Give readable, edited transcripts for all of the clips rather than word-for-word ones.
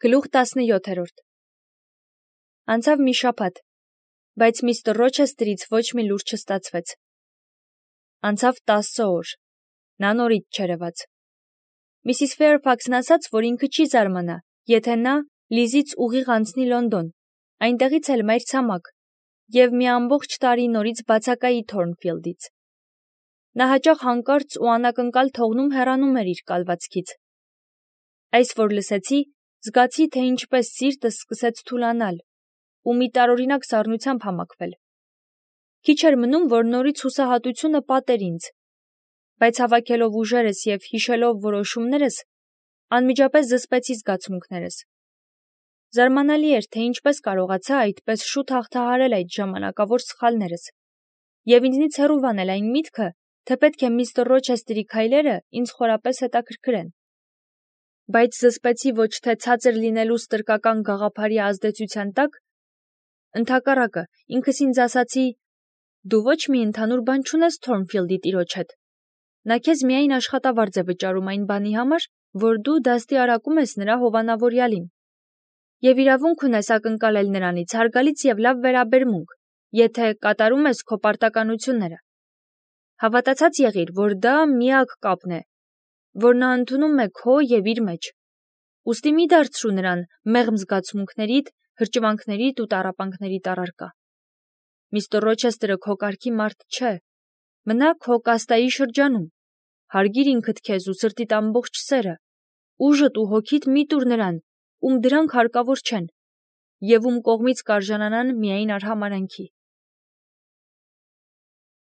Գլուխ 17 Անցավ մի շաբաթ, բայց միստր Ռոչեստրից ոչ մի լուր չստացվեց։ Անցավ 10 օր, նա նորից չերևաց։ Միսիս Ֆեյրֆաքսն ասաց, որ ինքը չի զարմանա, եթե նա Լիզից ուղիղ անցնի Լոնդոն, այնտեղից էլ մայրցամաք, և մի ամբողջ տարի նորից բացակայի Թորնֆիլդից։ Նա հաճախ հանկարծ ու անակնկալ թողնում հեռանում էր իր կալվածքից։ Այս որ լսեցի, զգացի, թե ինչպես սիրտս սկսեց թուլանալ ու մի տարօրինակ սառնությամբ համակվել։ Քիչ էր մնում, որ նորից հուսահատությունը պատեր ինձ, բայց հավաքելով ուժերս և հիշելով որոշումներս, անմիջապես զսպեցի զգացմունքներս։ Զարմանալի էր, թե ինչպես կարողացա այդպես շուտ հաղթահարել այդ ժամանակավոր սխալներս, և ինձնից հեռու այն միտքը, թե պետք է միստր Ռոչեստրի քայլերը ինձ խորապես հետաքրքրեն։ Բայց զսպեցի ոչ թե ցածր լինելու ստրկական գաղափարի ազդեցության տակ, ընդհակառակը, ինքս ինձ ասացի. «Դու ոչ մի ընդհանուր բան չունես Թորնֆիլդի տիրոջ հետ։ Նա քեզ միայն աշխատավարձ է վճարում այն բանի համար, որ դու դաստիարակում ես նրա հովանավորյալին։ Եվ իրավունք ունես ակնկալել նրանից հարգալից և լավ վերաբերմունք, եթե կատարում ես քո պարտականությունները։ Հավատացած եղիր, որ դա միակ կապն է, որ նա ընդունում է քո և իր մեջ։ Ուստի մի դարձրու նրան մեղմ զգացմունքներիդ, հրճվանքներիդ ու տառապանքներիդ առարկա։ Միստր Ռոչեստրը քո կարգի մարդ չէ, մնա քո կաստայի շրջանում, հարգիր ինքդ քեզ ու սրտիդ ամբողջ սերը, ուժդ ու հոգիդ մի տուր նրան, ում դրանք հարկավոր չեն, և ում կողմից կարժանանան միայն արհամարհանքի»։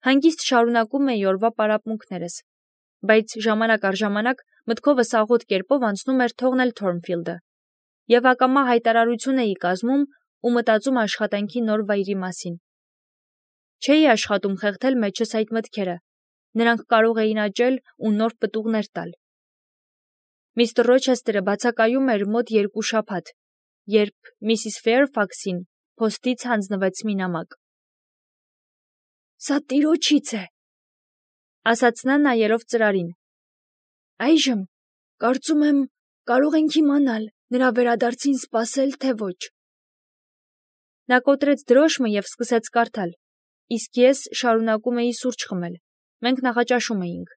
Հանգիստ շարունակում էի օրվա պարապմունքներս, բայց ժամանակ առ ժամանակ մտքովս աղոտ կերպով անցնում էր թողնել Թորնֆիլդը, և ակամա հայտարարություն էի կազմում ու մտածում աշխատանքի նոր վայրի մասին։ Չէի աշխատում խեղդել մեջս այդ մտքերը, նրանք կարող էին աճել ու նոր պտուղներ տալ։ Միստր Ռոչեստրը բացակայում էր մոտ 2 շաբաթ, երբ միսիս Ֆեյրֆաքսին փոստից հանձնվեց մի նամակ։ «Սա տիրոջից է», ասաց նա նայելով ծրարին։ «Այժմ, կարծում եմ, կարող ենք իմանալ նրա վերադարձին սպասել, թե ոչ»։ Նա կոտրեց դրոշմը և սկսեց կարդալ, իսկ ես շարունակում էի սուրճ խմել։ Մենք նախաճաշում էինք։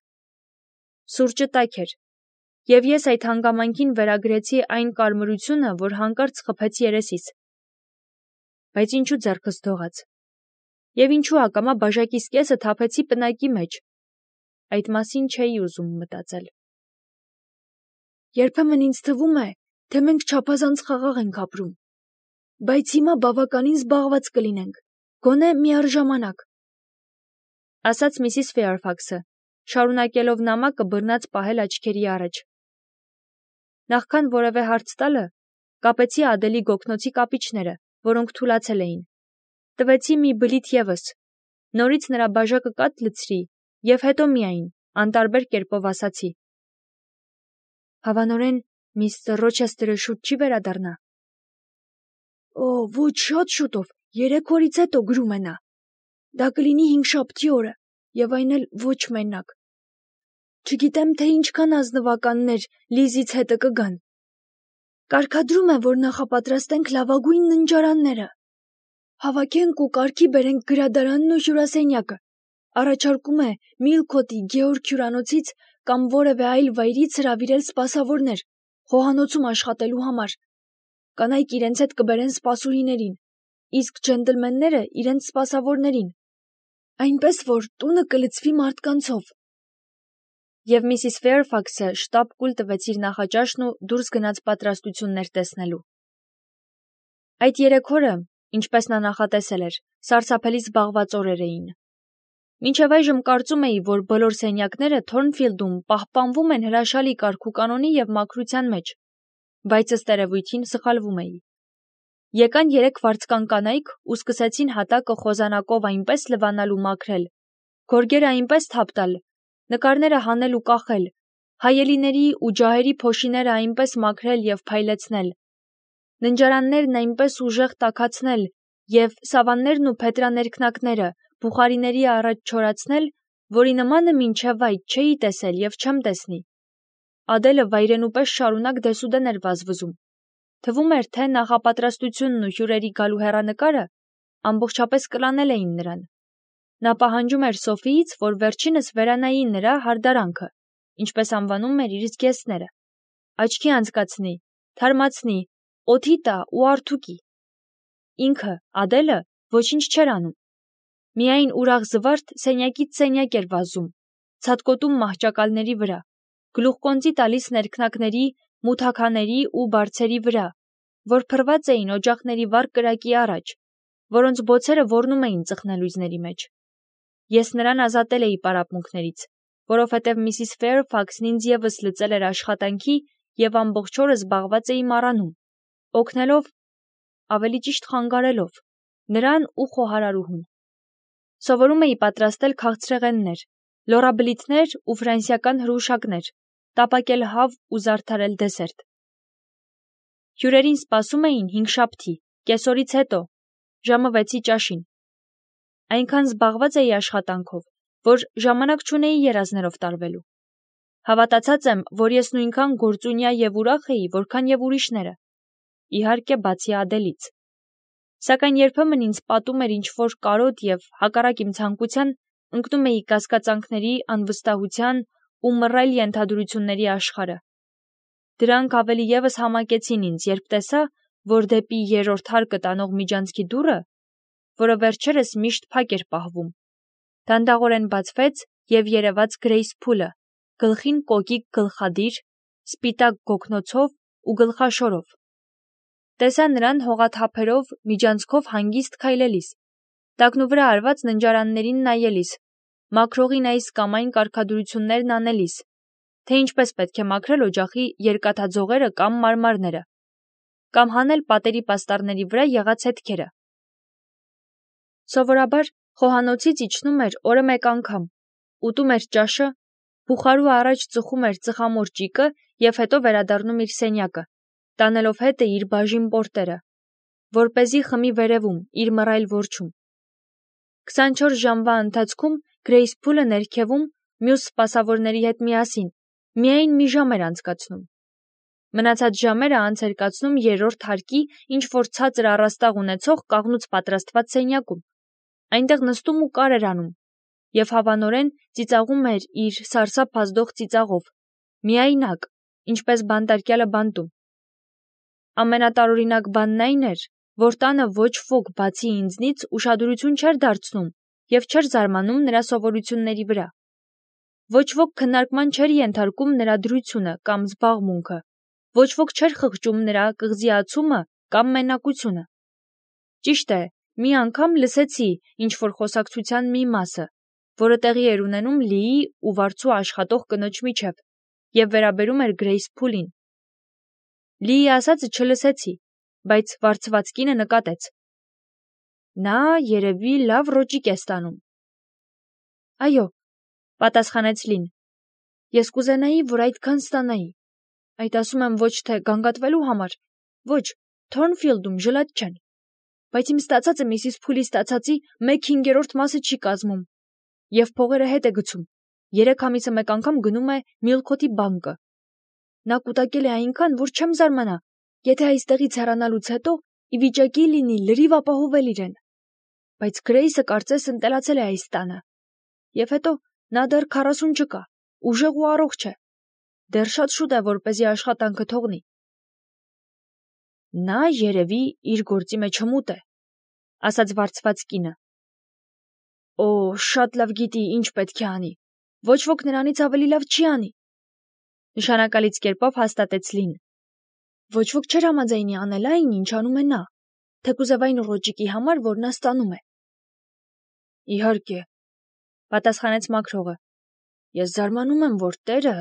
Սուրճը տաք էր, և ես այդ հանգամանքին վերագրեցի այն կարմրությունը, որ հանկարծ խփեց երեսիս։ Բայց ինչու ձեռքս դողաց։ Եվ ինչու ակամա բաժակիս կեսը թափեցի պնակի մեջ։ Այդ մասին չէի ուզում մտածել։ Երբեմն ինձ թվում է, թե մենք չափազանց խաղաղ ենք ապրում, բայց հիմա բավականին զբաղված կլինենք, գոնե միառժամանակ, ասաց միսիս Ֆեյրֆաքսը, շարունակելով նամակը բռնած պահել աչքերի առաջ։ Նախքան որևէ հարց տալը, կապեցի Ադելի գոգնոցի կապիչները, որոնք թուլացել էին։ Տվեցի մի բլիթ ևս, նորից նրա բաժակը կաթ լցրի և հետո միայն անտարբեր կերպով ասացի. «Հավանորեն միստր Ռոչեստրը շուտ չի վերադառնա»։ «Օ, ոչ, շատ շուտով, 3 օրից հետո գրում է նա։ Դա կլինի հինգշաբթի օրը, և այն էլ ոչ մենակ։ Չգիտեմ, թե ինչքան ազնվականներ Լիզից հետը կգան։ Կարգադրում է, որ նախապատրաստենք լավագույն ննջարանները, հավաքենք ու կարգի բերենք գրադարանն ու հյուրասենյակը, առաջարկում է Միլքոթի Գեորգ հյուրանոցից կամ որևէ այլ վայրից հրավիրել սպասավորներ խոհանոցում աշխատելու համար։ Կանայք իրենց հետ կբերեն սպասուհիներին, իսկ ջենտլմենները իրենց սպասավորներին, այնպես որ տունը կլցվի մարդկանցով»։ Եվ միսիս Ֆեյրֆաքսը շտապ կուլ տվեց իր նախաճաշն ու դուրս գնաց պատրաստություններ տեսնելու։ Այդ 3 օրը, ինչպես նա նախատեսել էր, սարսափելի զբաղված օրեր էին։ Մինչև այժմ կարծում էի, որ բոլոր սենյակները Թորնֆիլդում պահպանվում են հրաշալի կարգուկանոնի և մաքրության մեջ, բայց ըստ երևույթին սխալվում էի։ Եկան 3 վարձկան կանայք ու սկսեցին հատակը խոզանակով այնպես լվանալ ու մաքրել, գորգերը այնպես թափ տալ, նկարները հանել ու կախել, հայելիների ու ջահերի փոշիները այնպես մաքրել և փայլեցնել, ննջարաններն այնպես ուժեղ տաքացնել և սավաններն ու փետրաներքնակները բուխարիների առաջ չորացնել, որի նմանը մինչև այդ չէի տեսել և չեմ տեսնի։ Ադելը վայրենու պես շարունակ դեսուդեն էր վազվզում, Թվում էր, թե նախապատրաստությունն ու հյուրերի գալու հեռանկարը ամբողջապես կլանել էին նրան։ Նա պահանջում էր Սոֆիից, որ վերջինս վերանայի նրա հարդարանքը, ինչպես անվանում էր իր զգեստները, աչքի անցկացնի, թարմացնի, օդի տա ու արթուկի։ Ինքը, Ադելը, ոչինչ չէր անում։ Միայն ուրախ զվարթ սենյակից սենյակ էր վազում, ցատկոտում մահճակալների վրա, գլուխկոնծի տալիս ներքնակների, մութաքաների ու բարձերի վրա, որ փռված էին օջախների վառ կրակի առաջ, որոնց բոցերը ոռնում էին ծխնելույզների մեջ։ Ես նրան ազատել էի պարապմունքներից, որովհետև Միսիս Ֆեյրֆաքսն ինձ ևս լծել էր աշխատանքի և ամբողջ օրը զբաղված էի մառանում, օգնելով, ավելի ճիշտ խանգարելով, նրան ու խոհարարուհուն։ Սովորում էի պատրաստել քաղցրեղեններ, լոռաբլիթներ ու ֆրանսիական հրուշակներ, տապակել հավ ու զարդարել դեսերտ։ Հյուրերին սպասում էին հինգշաբթի, կեսօրից հետո, ժամը 6-ի ճաշին։ Այնքան զբաղված էի աշխատանքով, որ ժամանակ չունեի երազներով տարվելու։ Հավատացած եմ, որ ես նույնքան գործունյա և ուրախ էի, որքան և ուրիշները։ Իհարկե, բացի Ադելից։ Սակայն երբեմն ինձ պատում էր ինչ-որ կարոտ և, հակառակ իմ ցանկության, ընկնում էի կասկածանքների, անվստահության ու մռայլ ենթադրությունների աշխարհը։ Դրանք ավելի ևս համակեցին ինձ, երբ տեսա, որ դեպի երրորդ հարկը տանող միջանցքի դուռը, որը վերջերս միշտ փակ էր պահվում, դանդաղորեն բացվեց և երևաց Գրեյս Փուլը, գլխին կոկիկ գլխադիր, սպիտակ գոգնոցով ու գլխաշորով։ Տեսա նրան հողաթափերով միջանցքով հանգիստ քայլելիս, տակնուվրա արված ննջարաններին նայելիս, մաքրողին այս կամ այն կարգադրություններն անելիս, թե ինչպես պետք է մաքրել օջախի երկաթաձողերը կամ մարմարները, կամ հանել պատերի պաստառների վրա եղած հետքերը։ Սովորաբար խոհանոցից իջնում էր օրը մեկ անգամ, ուտում էր ճաշը, բուխարու առաջ ծխում էր ծխամոր ճիկը և հետո վերադառնում իր սենյակը, տանելով հետը իր բաժին պորտերը, որպեսզի խմի վերևում, իր մռայլ որջում։ 24 ժամվա ընթացքում Գրեյս Փուլը ներքևում մյուս սպասավորների հետ միասին միայն մի ժամ էր անցկացնում։ Մնացած ժամերը անց էր կացնում երրորդ հարկի ինչ-որ ցածր առաստաղ ունեցող կաղնուց պատրաստված սենյակում, այնտեղ նստում ու կար էր անում և հավանորեն ծիծաղում էր իր սարսափ ազդող ծիծաղով, միայնակ, ինչպես բանտարկյալը բանտում։ Ամենատարօրինակ բանն այն էր, որ տանը ոչ ոք բացի ինձնից ուշադրություն չէր դարձնում և չէր զարմանում նրա սովորությունների վրա։ Ոչ ոք քննարկման չէր ենթարկում նրա դրությունը կամ զբաղմունքը, ոչ ոք չէր խղճում նրա կղզիացումը կամ մենակությունը։ Ճիշտ է, մի անգամ լսեցի ինչ-որ խոսակցության մի մասը, որը տեղի էր ունենում Լիի ու վարձու աշխատող կնոջ միջև և վերաբերում էր Գրեյս Փուլին։ Լիի ասածը չլսեցի, բայց վարձված կինը նկատեց. նա երևի լավ ռոճիկ է ստանում։ Այո, պատասխանեց Լին, ես կուզենայի, որ այդքան ստանայի։ Այդ ասում եմ ոչ թե գանգատվելու համար, ոչ, Թորնֆիլդում ժլատ չեն, բայց իմ ստացածը Միսիս Փուլի ստացածի 1/5 մասը չի կազմում, և փողերը հետ է գցում, 3 ամիսը մեկ անգամ գնում է Միլքոթի բանկը։ Նա կուտակել է այնքան, որ չեմ զարմանա, եթե այստեղից հեռանալուց հետո ի վիճակի լինի լրիվ ապահովել իրեն։ Բայց Գրեյսը կարծես ընտելացել է այս տանը։ Եվ հետո նա դեռ 40 չկա, ուժեղ ու առողջ է։ Դեռ շատ շուտ է, որպեսզի աշխատանքը թողնի։ Նա երևի իր գործի մեջ հմուտ է, ասաց վարձված կինը։ Օ, շատ լավ գիտի, ինչ պետք է անի։ Ոչ ոք նրանից ավելի լավ չի անի։ Նշանակալից կերպով հաստատեց Լին։ Ոչ ոք չէր համաձայնի անել այն, ինչ անում է նա, թեկուզև այն ռոճիկի համար, որ նա ստանում է։ Իհարկե, պատասխանեց մաքրողը։ Ես զարմանում եմ, որ տերը…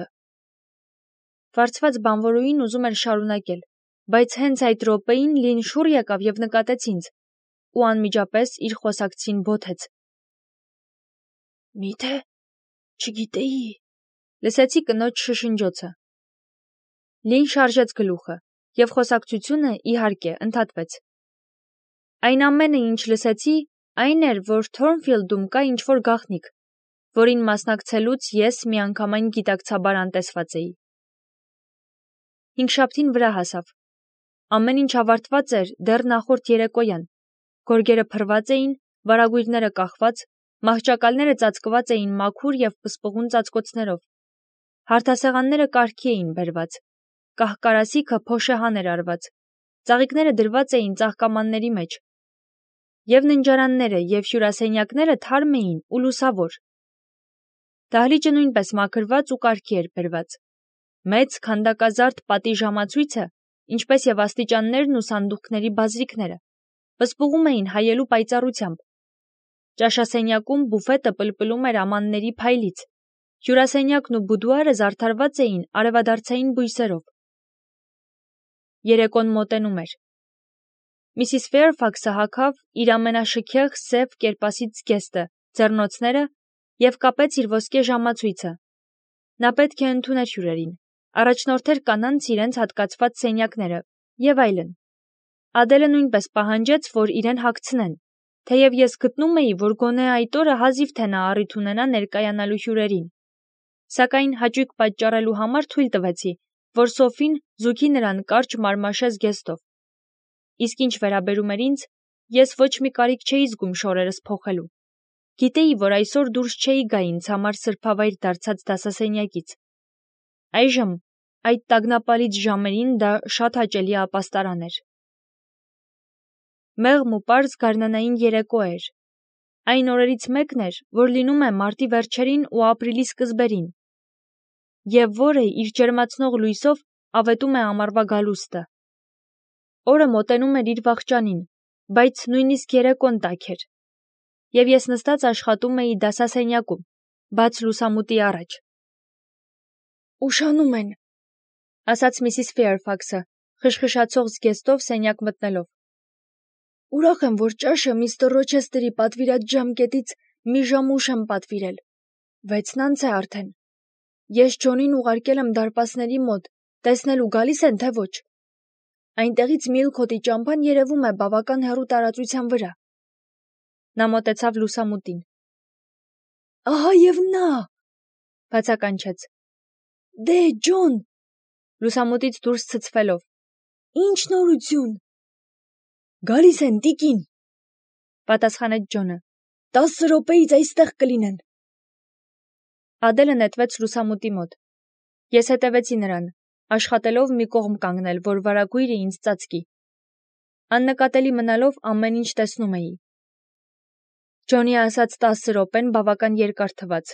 Վարձված բանվորուհին ուզում էր շարունակել, բայց հենց այդ րոպեին Լին շուռ եկավ և նկատեց ինձ, ու անմիջապես իր խոսակցին բոթեց։ Միթե… չգիտեի… Լսեցի կնոջ շշնջոցը։ Լին շարժեց գլուխը, և խոսակցությունը, իհարկե, ընդհատվեց։ Այն ամենը, ինչ լսեցի, այն էր, որ Թորնֆիլդում կա ինչ-որ գաղտնիք, որին մասնակցելուց ես միանգամայն գիտակցաբար անտեսված էի։ Հինգշաբթին վրա հասավ։ Ամեն ինչ ավարտված էր դեռ նախորդ երեկոյան։ Գորգերը փռված էին, վարագույրները կախված, մահճակալները ծածկված էին մաքուր և պսպղուն ծածկոցներով։ Հարթասեղանները կարգի էին բերված։ Կահկարասիքը փոշեհան էր արված։ Ծաղիկները դրված էին ծաղկամանների մեջ։ Եվ ննջարանները և հյուրասենյակները թարմ էին ու լուսավոր։ Դահլիճը նույնպես մաքրված ու կարգի էր բերված։ Մեծ քանդակազարդ պատի ժամացույցը, ինչպես և աստիճաններն ու սանդուղքների բազրիքները, պսպղում էին հայելու պայծառությամբ։ Ճաշասենյակում բուֆետը պլպլում էր ամանների փայլից։ Հյուրասենյակն ու բուդուարը զարդարված էին արևադարձային բույսերով։ Երեկոն մոտենում էր։ Միսիս Ֆեյրֆաքսը հագավ իր ամենաշքեղ սև կերպասից զգեստը, ձեռնոցները և կապեց իր ոսկե ժամացույցը։ Նա պետք է ընդուներ հյուրերին, առաջնորդեր կանանց իրենց հատկացված սենյակները և այլն։ Ադելը նույնպես պահանջեց, որ իրեն հագցնեն, թեև ես գտնում էի, որ գոնե այդ օրը հազիվ թե նա առիթ ունենա ներկայանալու հյուրերին։ Սակայն հաճույք պատճառելու համար թույլ տվեցի, որ Սոֆին զուգի նրան կարճ մարմաշե զգեստով։ Իսկ ինչ վերաբերում էր ինձ, ես ոչ մի կարիք չէի զգում շորերս փոխելու։ Գիտեի, որ այսօր դուրս չէի գա ինձ համար սրբավայր դարձած դասասենյակից։ Այժմ, այդ տագնապալից ժամերին դա շատ հաճելի ապաստարան էր։ Մեղմ ու պարզ գարնանային երեկո էր։ Այն օրերից մեկն էր, որ լինում է մարտի վերջերին ու ապրիլի սկզբերին, և որը իր ջերմացնող լույսով ավետում է ամառվա գալուստը։ Օրը մոտենում էր իր վախճանին, բայց նույնիսկ երեկոն տաք էր, և ես նստած աշխատում էի դասասենյակում, բաց լուսամուտի առաջ։ «Ուշանում են», ասաց Միսիս Ֆեյրֆաքսը, խշխշացող զգեստով սենյակ մտնելով։ «Ուրախ եմ, որ ճաշը միստր Ռոչեսթերի պատվիրած ժամկետից մի ժամ ուշ եմ պատվիրել։ 6-ն անց է արդեն։ Ես Ջոնին ուղարկել եմ դարպասների մոտ, տեսնելու գալիս են, թե ոչ։ Այնտեղից Միլքոթի ճամփան երևում է բավական հեռու տարածության վրա»։ Նա մոտեցավ լուսամուտին։ «Ահա և նա», բացականչեց։ «Դե, Ջոն», լուսամուտից դուրս ցցվելով։ «Ինչ նորություն»։ «Գալիս են, տիկին», պատասխանեց Ջոնը։ 10 րոպեից այստեղ կլինեն։ Ադելը նետվեց լուսամուտի մոտ։ Ես հետևեցի նրան, աշխատելով մի կողմ կանգնել, որ վարագույրը ինձ ծածկի։ Աննկատելի մնալով ամեն ինչ տեսնում էի։ Ջոնի ասաց 10 րոպեն բավական երկար թվաց,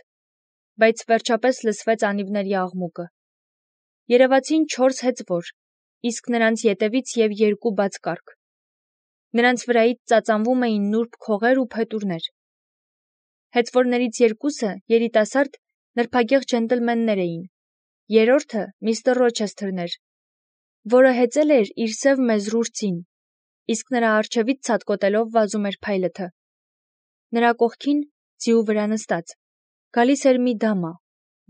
բայց վերջապես լսվեց անիվների աղմուկը։ Երևացին 4 հեծվոր, իսկ նրանց ետևից և 2 բաց կառք։ Նրանց վրայից ծածանվում էին նուրբ քողեր ու փետուրներ։ Հեծվորներից 2-ը երիտասարդ, նրբագեղ ջենտլմեններ էին։ Երրորդը միստր Ռոչեսթերն էր, որը հեծել էր իր սև մեզրուրցին, իսկ նրա առջևից ցատկոտելով վազում էր փայլըթը։ Նրա կողքին, ձիու վրա նստած, գալիս էր մի դամա,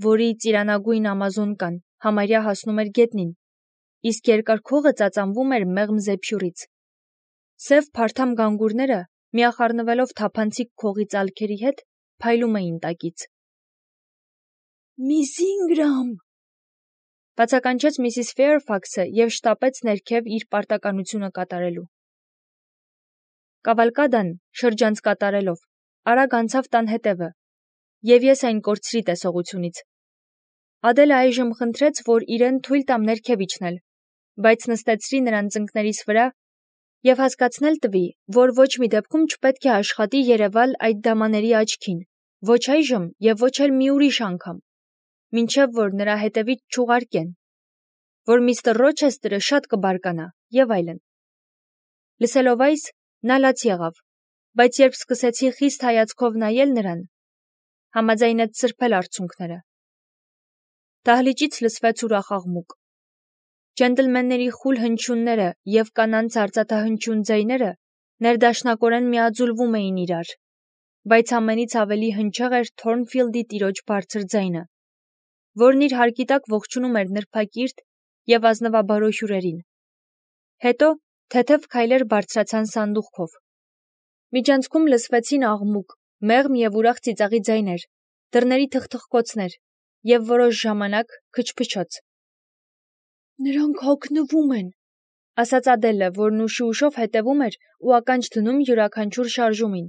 որի ծիրանագույն ամազոնկան համարյա հասնում էր գետնին, իսկ երկար քողը ծածանվում էր մեղմ զեփյուռից։ Սև փարթամ գանգուրները, միախառնվելով թափանցիկ քողի ծալքերի հետ, փայլում էին տակից։ «Միս Ինգրամ», բացականչեց Միսիս Ֆեյրֆաքսը և շտապեց ներքև իր պարտականությունը կատարելու։ Կավալկադան, շրջանց կատարելով, արագ անցավ տան հետևը, և ես այն կորցրի տեսողությունից։ Ադելը այժմ խնդրեց, որ իրեն թույլ տամ ներքև իջնել, բայց նստեցրի նրան ծնկներիս վրա և հասկացնել տվի, որ ոչ մի դեպքում չպետք է աշխատի երևալ այդ դամաների աչքին, ոչ այժմ և ոչ էլ մի ուրիշ անգամ, մինչև որ նրա հետևից չուղարկեն, որ միստր Ռոչեսթերը շատ կբարկանա և այլն։ Լսելով այս, նա լաց եղավ, բայց երբ սկսեցի խիստ հայացքով նայել նրան, համաձայնեց սրբել արցունքները։ Դահլիճից լսվեց ուրախ աղմուկ։ Ջենտլմենների խուլ հնչյունները և կանանց արծաթահնչյուն ձայները ներդաշնակորեն միաձուլվում էին իրար, բայց ամենից ավելի հնչեղ էր Թորնֆիլդի տիրոջ բարձր ձայնը, որն իր հարկի տակ ողջունում էր նրբակիրթ և ազնվաբարո հյուրերին։ Հետո թեթև քայլեր բարձրացան սանդուղքով։ Միջանցքում լսվեցին աղմուկ, մեղմ և ուրախ ծիծաղի ձայներ, դռների թխթխկոցներ և որոշ ժամանակ քչփչոց։ «Նրանք հագնվում են», ասաց Ադելը, որն ուշի ուշով հետևում էր ու ականջ դնում յուրաքանչյուր շարժումին,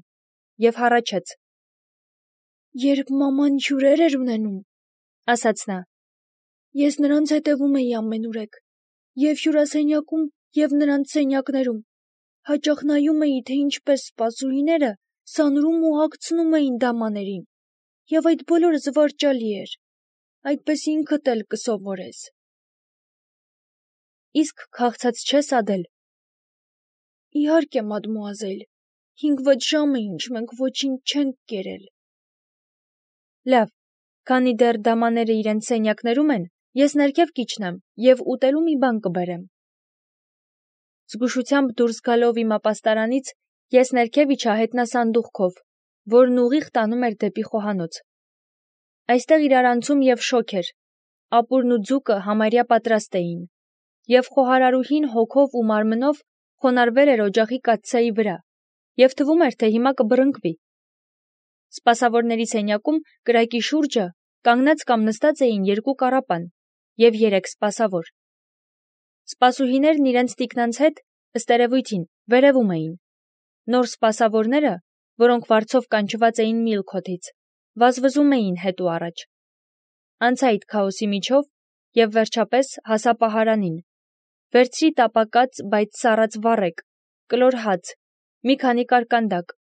եւ հառաչեց. Երբ մաման հյուրեր էր ունենում, ասաց նա, ես նրանց հետևում էի ամենուրեք, եւ հյուրասենյակում, եւ նրանց սենյակներում, հաճախ նայում էի, թե ինչպես սպասուհիները սանրում ու հագցնում էին դամաներին, եւ այդ բոլորը զվարճալի էր, այդպես ինքդ էլ կսովորես։ Իսկ քաղցած չես, Ադել։ Իհարկե, մադմուազել, 5-6 ժամ է ինչ մենք ոչինչ չենք կերել։ Լավ, քանի դեռ դամաները իրենց սենյակներում են, ես ներքև կիջնեմ եւ ուտելու մի բան կբերեմ։ Զգուշությամբ դուրս գալով իմ ապաստարանից, ես ներքև իջա հետնասանդուղքով, որն ուղիղ տանում էր դեպի խոհանոց։ Այստեղ իրարանցում եւ շոգ էր, ապուրն ու ձուկը համարյա պատրաստ էին, եւ խոհարարուհին հոգով ու մարմնով խոնարհվել էր օջախի կաթսայի վրա, եւ թվում էր, թե հիմա կբռնկվի։ Սպասավորների սենյակում կրակի շուրջը կանգնած կամ նստած էին 2 կառապան եւ 3 սպասավոր։ Սպասուհիներն իրենց տիկնանց հետ, ըստ երևույթին, վերևում էին։ Նոր սպասավորները, որոնք վարձով կանչված էին Միլքոթից, վազվզում էին հետ ու առաջ։ Անցա այդ քաոսի միջով եւ վերջապես հասա պահարանին։ Վերցրի տապակած, բայց սառած վառեկ, կլոր հաց, մի քանի կարկանդակ,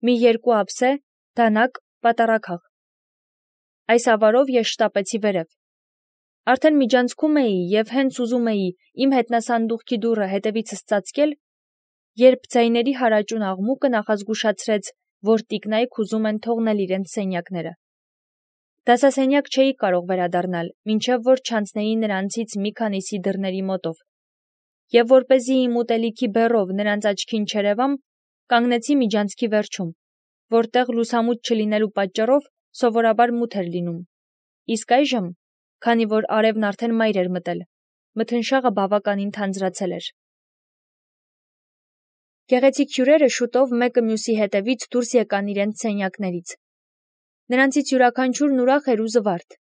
մի 2 ափսե, դանակ, պատառաքաղ։ Այս ավարով ես շտապեցի վերև։ Արդեն միջանցքում էի եւ հենց ուզում էի իմ հետնասանդուղքի դուռը հետևիցս ծածկել, երբ ձայների հարաճուն աղմուկը նախազգուշացրեց, որ տիկնայք ուզում են թողնել իրենց սենյակները։ Դասասենյակ չէի կարող վերադառնալ, մինչև որ չանցնեի նրանցից մի քանիսի դռների մոտով։ Եվ որպեսզի իմ ուտելիքի բեռով նրանց աչքին չերևամ, կանգնեցի միջանցքի վերջում, որտեղ լուսամուտ չլինելու պատճառով սովորաբար մութ էր լինում։ Իսկ այժմ, քանի որ արևն արդեն մայր էր մտել, մթնշաղը բավականին թանձրացել էր։ Գեղեցիկ հյուրերը շուտով մեկը մյուսի հետևից դուրս եկան իրենց սենյակներից։ Նրանցից յուրաքանչյուրն ուրախ էր ու զվարթ,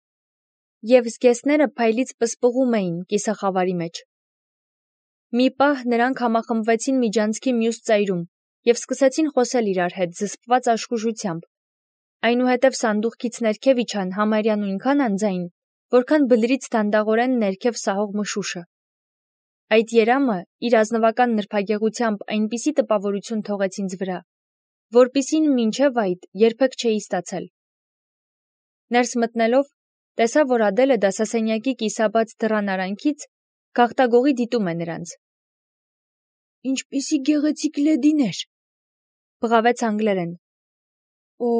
եւ զգեստները փայլից պսպղում էին կիսախավարի մեջ։ Մի պահ նրանք համախմբվեցին միջանցքի մյուս ծայրում եւ սկսեցին խոսել իրար հետ զսպված աշխուժությամբ։ Այնուհետև սանդուղքից ներքև իջան համարյա նույնքան անձայն, որքան բլրից դանդաղորեն ներքև սահող մշուշը։ Այդ երամը իր ազնվական նրբագեղությամբ այնպիսի տպավորություն թողեց ինձ վրա, որպիսին մինչև այդ երբեք չէի ստացել։ Ներս մտնելով, տեսա, որ Ադելը դասասենյակի կիսաբաց դռան արանքից գաղտագողի դիտում է նրանց։ Ինչպիսի գեղեցիկ լեդիներ, բղավեց անգլերեն։ Օ,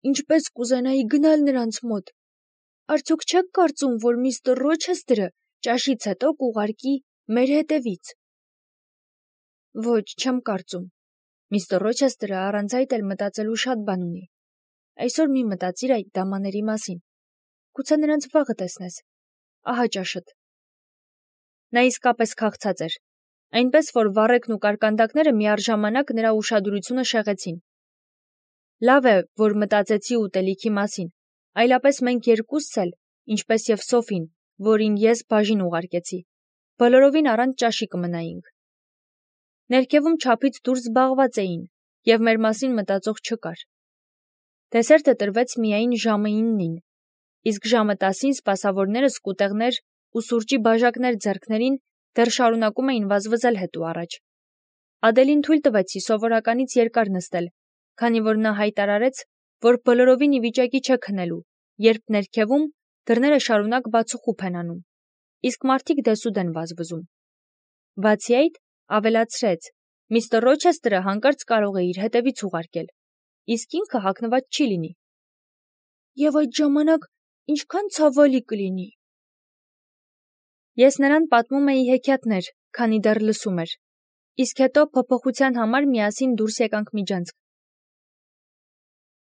ինչպես կուզենայի գնալ նրանց մոտ։ Արդյոք չեք կարծում, որ միստր Ռոչեսթերը ճաշից հետո կուղարկի մեր հետևից։ Ոչ, չեմ կարծում։ Միստր Ռոչեսթերը առանց այդ էլ մտածելու շատ բան ունի։ Այսօր մի մտածիր այդ դամաների մասին։ Գուցե նրանց վաղը տեսնես։ Ահա ճաշդ։ Նա իսկապես քաղցած էր, այնպես որ վառեկն ու կարկանդակները միառժամանակ նրա ուշադրությունը շեղեցին։ Լավ է, որ մտածեցի ուտելիքի մասին, այլապես մենք երկուսս էլ, ինչպես եւ Սոֆին, որին ես բաժին ուղարկեցի, բոլորովին առանց ճաշի կմնայինք։ Ներքևում չափից դուրս զբաղված էին, եւ մեր մասին մտածող չկար։ Դեսերտը տրվեց միայն ժամը 9-ին, իսկ ժամը 10-ին սպասավորները սկուտեղներ ու սուրճի բաժակներ ձեռքներին դեռ շարունակում էին վազվզել հետ ու առաջ։ Ադելին թույլ տվեցի սովորականից երկար նստել, քանի որ նա հայտարարեց, որ բոլորովին ի վիճակի չէ քնելու, երբ ներքևում դռները շարունակ բացուխուփ են անում, իսկ մարդիկ դեսուդեն վազվզում։ Բացի այդ, ավելացրեց, միստր Ռոչեսթերը հանկարծ կարող է իր հետևից ուղարկել, իսկ ինքը հագնված չի լինի։ Եվ այդ ժամանակ ինչքան ցավալի կլինի։ Ես նրան պատմում էի հեքիաթներ, քանի դեռ լսում էր, իսկ հետո փոփոխության համար միասին դուրս եկանք միջանցք։